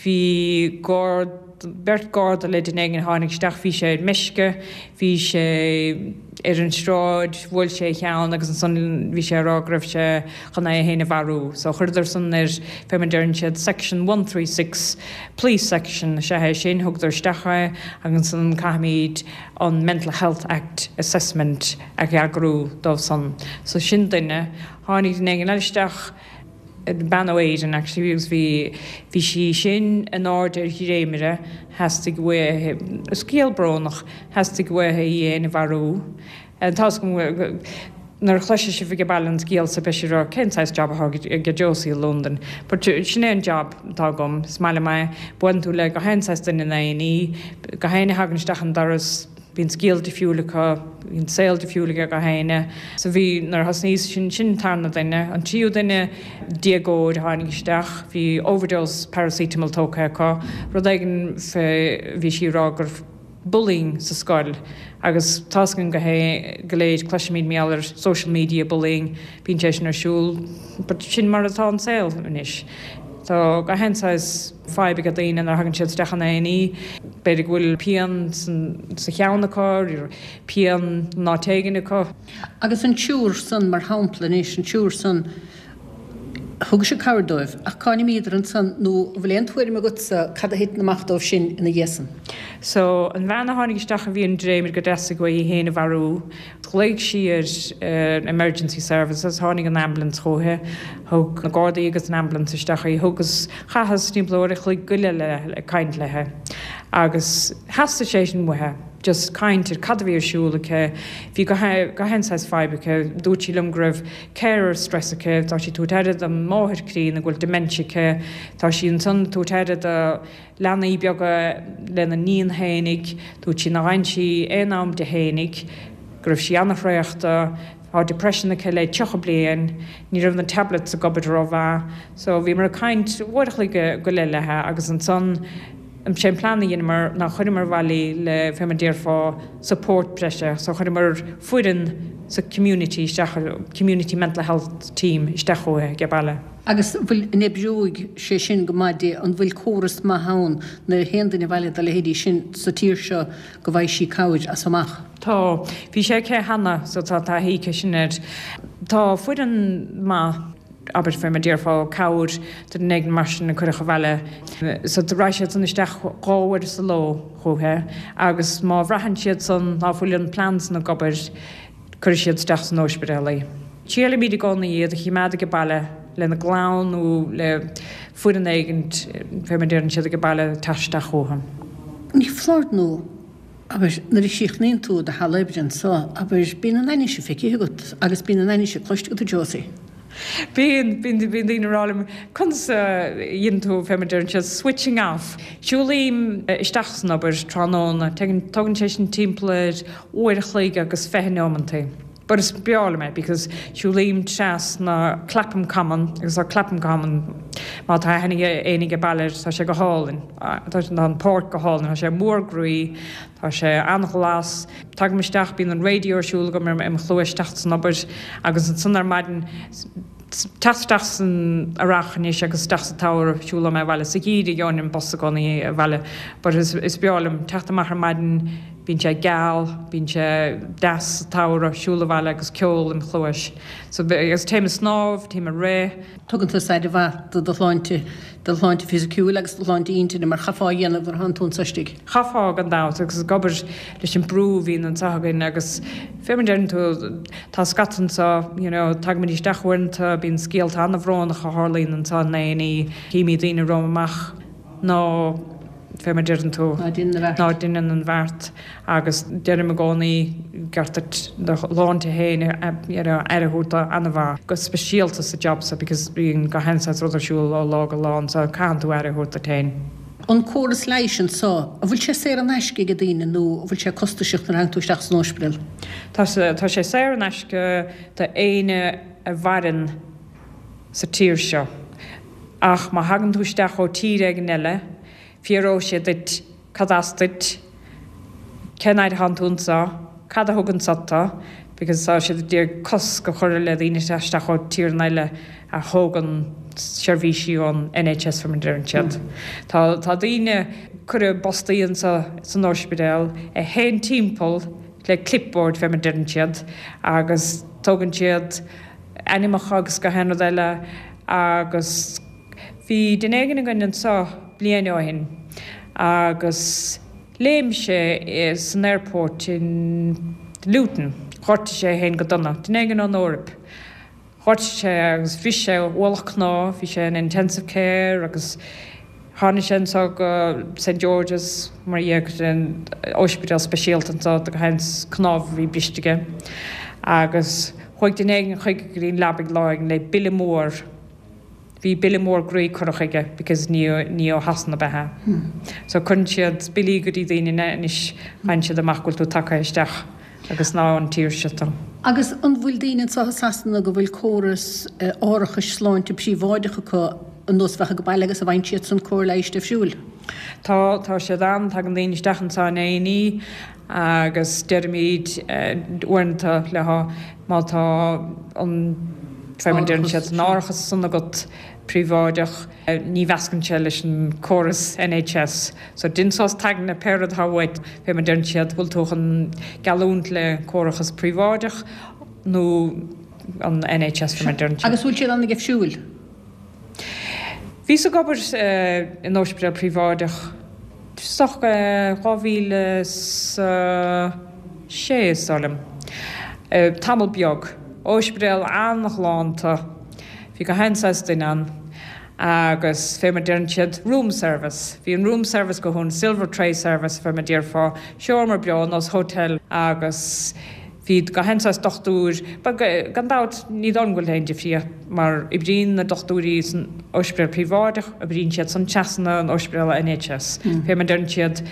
Bhí gard, beirt garda le duine éigin a tháinig isteach, bhí sé ar meisce, bhí sé ar an sráid, bhuail sé a cheann agus ansan bhí sé ag rá go raibh sé chun é féin a mharú. So chuireadar san ar, fé mar a deireann siad, section one three six, police section, is ea é sin, thugadar isteach é agus ansan caithfimid an Mental Health Act assessment a eagrú dóibh san. So sin duine. Tháinig duine éigin eile isteach, bean ó Éirinn actually agus bhí bhí sí sin in airde ar dhréimire, theastaigh uaithi, scéal brónach, theastaigh uaithi í fhéin a mharú. Tá's agam nuair a chloisfidh sibh ag baile an scéal so beidh sibh ag rá cén saghas job atá ag Josie i Londain. But sin é an job atá agam, is maith liom é, buaileann tú le gach aon saghas duine in A and E, gach éinne a thagann isteach an doras, Bíonn scéal difriúil acu, bíonn saol difriúil ag gach éinne. So bhí, nuair a thosnaíos, sin, sin an tarna duine. An tríú duine, déagóir a tháinig isteach, bhí overdose paracetamol tógtha acu, rud éigin fé, bhí sí ag rá go raibh bullying sa scoil agus tá's againn go hé, go léir, cloisimid mar gheall ar social media bullying, bíonn sé sin ar siúl, but sin mar atá an saol anois. Tá gach aon saghas fadhb ag daoine nuair a thagann siad isteach in A and E. B'fhéidir go bhfuil pian sa cheann acu, pian in áit éigin acu. Agus an triúr san, mar shampla anois, an triúr san, thug sibh cabhair dóibh, ach cá n-imíodar ansan nó an bhfuil aon tuairim agatsa cad a thiteann amach dóibh sin ina dhiaidh san? So, an bhean a tháinig isteach a bhí ar an dréimire go dteastaigh uaithi í féin a mharú, Ghlaoigh sí ar emergency services, tháinig an ambulance chúithi, thug na Gardaí agus an ambulance isteach í, thugas, chaitheas timpeall uair a chloig go leith léi ag caint léi agus theastaigh sé sin uaithi, just caint ar cad a bhí ar siúl aici, bhí gach aon saghas fadhb aici, dúirt sí liom go raibh carer stress aici, tá sí ag tabhairt aire dá máthair críonna go bhfuil dementia aici, tá sí ansan ag tabhairt aire do leanaí beaga lena níon fhéinig, dúirt sí nár fhan sí aon am di fhéinig, go raibh sí an-thraochta, tá depression aici le tríocha bliain, ní raibh na tablets ag obair rómhaith, so bhíomar ag caint uair a chloig go leith léi agus ansan sé an plean a dheineamar ná chuireamar abhaile í le fé mar déarfá support breise, so chuireamar foireann sa community isteach, community mental health team isteach chúithi age baile. Agus an bhfuil, an oibreoidh sé sin go maith di, an bhfuil córas maith ann nuair a théann duine abhaile dá leithéidí sin sa tír seo go bhfaighidh sí cabhair as amach? Tá. Bhí sé aici cheana so tá taithí aici sin air. Tá foireann maith, abair fé mar déarfá, cabhair do dhuine éigin mar sin a cuireadh abhaile. So raghaidh siad san isteach dhá uair sa ló chúithi agus má bhraitheann siad san ná fuil an plean san ag obair, cuirfidh siad isteach san óispidéal í. Triailimid i gcónaí iad a chimeád age baile lena gclann nó le foireann éigint, fé mar deireann siad age baile, teacht isteach chucu. Ní foláir nó, abair, nuair a chríochnaíonn tú do sheal oibre anso, abair, bíonn an ainnise feicthe agat agus bíonn an ainnise cloiste agat, a Josie. Bíonn, bíonn, bíonn daoine ag rá liom, conas a dhéanann tú, fé mar deireann siad, switching off. Siúlaím isteach san obair tráthnóna, tógann sé sin timpeall ar uair a chloig agus fiche neomantaí. But is breá liom é because siúlaím trasna Clapham Common agus tá Clapham Common, má tá aithne ag éinne age baile air, tá sé go hálainn. Tá an páirc go hálainn, tá sé mór groí, tá sé an-ghlas. Tagaim isteach, bíonn an radio ar siúl agam i mo chluais teacht san obair agus ansan ar maidin, teacht isteach san earrach anois agus isteach sa tsamhradh, siúlóidh mé abhaile. Sa gheimhreadh gheobhainn an bus i gcónaí abhaile but is is breá liom teacht amach ar maidin, bíonn sé geal, bíonn sé deas sa tsamhradh, siúl abhaile agus ceol im chluais. So agus téim ag snámh, téim ag rith. Tugann tusa aire mhaith do do shláinte. do shláinte fisiciúil agus do shláinte intinne mar chaithfeá a dhéanamh nuair atánn tú anso istigh. Chaithfeá gan dabht agus ag obair leis an brú a bhíonn anseo againn agus fé mar deireann tú tá scata anseo you know tagaimid isteach uaireanta bíonn scéalta an-bhrónach a tharlaíonn anseo in A and E címid daoine romham amach ná fé mar deireann tú, ná deineann an bheart agus deirim i gcónaí ceart duit do shláinte féin a you know aire a thabhairt dó an-mhaith, go speisialta sa job so because bíonn gach aon saghas rud ar siúl ó lá go lá anso caitheann tú aire a thabhairt duit féin. An córas leighis anso, an bhfuil sé saor in aisce ag daoine nó an bhfuil sé costasach nuair a thagann tú isteach san óispidéal? Tá tá sé saor in aisce do éinne a mhaireann sa tír seo. Ach má thagann tú isteach ó tír éigin eile, fiafróidh siad duit cad as duit, cén fhaid atánn tú anseo, cad a thug anseo tú, because tá siad ag iarraidh cosc a chur le daoine teacht isteach ó tíreanna eile a thógann seirbhísí ón NHS fé mar a deireann siad. Tá tá daoine cuireadh i bpostaí anseo san ospidéal a théann timpeall le clipboard fé mar a deireann siad agus tógann siad ainmneacha agus gach aon rud eile agus bhí duine éigin againn anseo bliain ó shin agus léim sé san airport in Luton, ghortaigh sé é féin go dona, duine éigin ón Eoraip. Ghortaigh sé agus bhris sé ualach cnámh, bhí sé in intensive care agus tháinig sé anseo go St George's mar dhea go dtí an ospidéal speisialta anseo do gach aon cnámh a bhí briste aige agus chuaigh duine éigin chuige go dtí an leabaidh lá éigin le bille mór, bhí bille mór groí curtha chuige because ní ní ó Shasana ab ea é. So cuireann siad billí go dtí daoine anois, faigheann siad amach go bhfuil tú tagtha isteach. Agus ná ón tír seo tú. Agus an bhfuil daoine anseo i Sasana go bhfuil córas árachais sláinte príobháideach acu ar nós a bheadh ag baile agus an bhfaigheann siadsan cóir leighis difriúil? Tá, tá siad ann. Tagann daoine isteach anseo in A&E agus deirimid uaireanta leo má tá an, fé mar a deireann siad, an árachas san agat príobháideach, ní mheascann sé leis an córas NHS. So dein suas t'aigne pé rud atá uait, fé mar a deireann siad, bhfuil tú chun geallúint le córachas príobháideach nó an NHS fé mar a deireann siad. Agus bhfuil siad an-difriúil? Bhíos ag obair in ospidéal príobháideach isteach dhá mhíle 's a sé is dóigh liom. Tamall beag. Ospidéal an-ghalánta. Bhí gach aon saghas duine ann agus fé mar deireann siad, room service. Bhí an room service go hiontach, silver tray service fé mar déarfá, seomra breá ar nós hotel agus bhí gach aon saghas dochtúir, bhuel gan dabht ní dóigh liom go bhfuil aon difríocht mar oibríonn na dochtúirí san ospidéal príobháideach, oibríonn siad san trasna an ospidéal NHS. Fé mar deireann siad,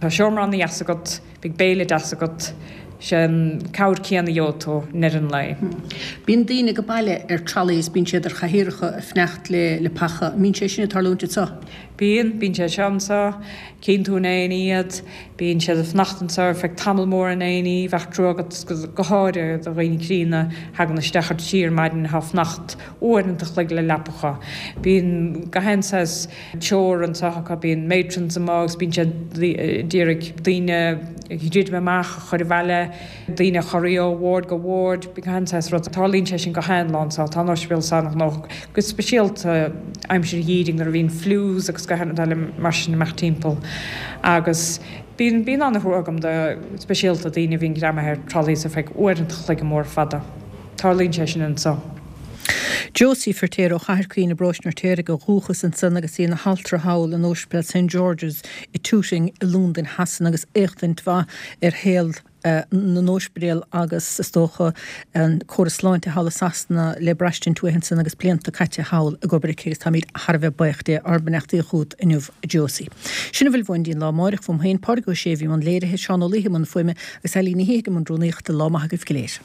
tá seomra ana-dheas agat, beidh béile deas agat, sé an cabhair céanna a gheobhaidh tú i ndeireadh an lae. Bíonn daoine ag baile ar trolleys, bíonn siad ar chathaoireacha ag fanacht le le paca. An mbíonn sé sin ag tarlúint anseo? Bíonn, bíonn sé seo anseo. Cíonn tú in A&E iad, bíonn siad ag fanacht anseo ar feadh tamall mór in A&E, bheadh trua agat go háirithe do dhaoine críonna a thagann isteach ar trí ar maidin atá ag fanacht uaireanta a chloig le leapacha. Bíonn gach aon saghas treoir anseo acu, bíonn matrons amuigh agus bíonn siad d'iarraidh daoine a dhruidim amach, a chur abhaile, daoine a chorraí ó ward go ward, bíonn gach aon saghas rud. Tarlaíonn sé sin gach aon lá anseo, tá an ospidéal an-ghnóthach, go speisialta aimsir an gheimhridh nuair a bhíonn flues agus gach aon rud eile mar sin ag imeacht timpeall. Agus bíonn, bíonn an-thrua agam do, speisialta daoine a bhíonn greamaithe ar trolleys ar feadh uaireanta a chloig mór fada. Tarlaíonn sé sin anseo. Josie Firtéar ó Chathair Caoin i bparóiste an Fheirtéaraigh ó dhúchas ansan agus í ina haltra thall in Ospidéal St George's i Tooting i Londain Shasana agus éachtaint mhaith ar shaol na n-ospidéal agus is dócha an córas sláinte thall i Sasana le braistint uaithi ansan agus blianta caite thall ag obair aici agus táimid thar a bheith buíoch di ár mbeannachtaí chugat inniu a Josie. Sin a bhfuil uainn go dtí an lá amáireach uaim féin, Pádraig Ó Sé a bhí i mbun léirithe, Seán Ó Laoithe i mbun fuaime agus Eileen Ní Shíthigh i mbun rúnaíochta. Lá maith agaibh go léir.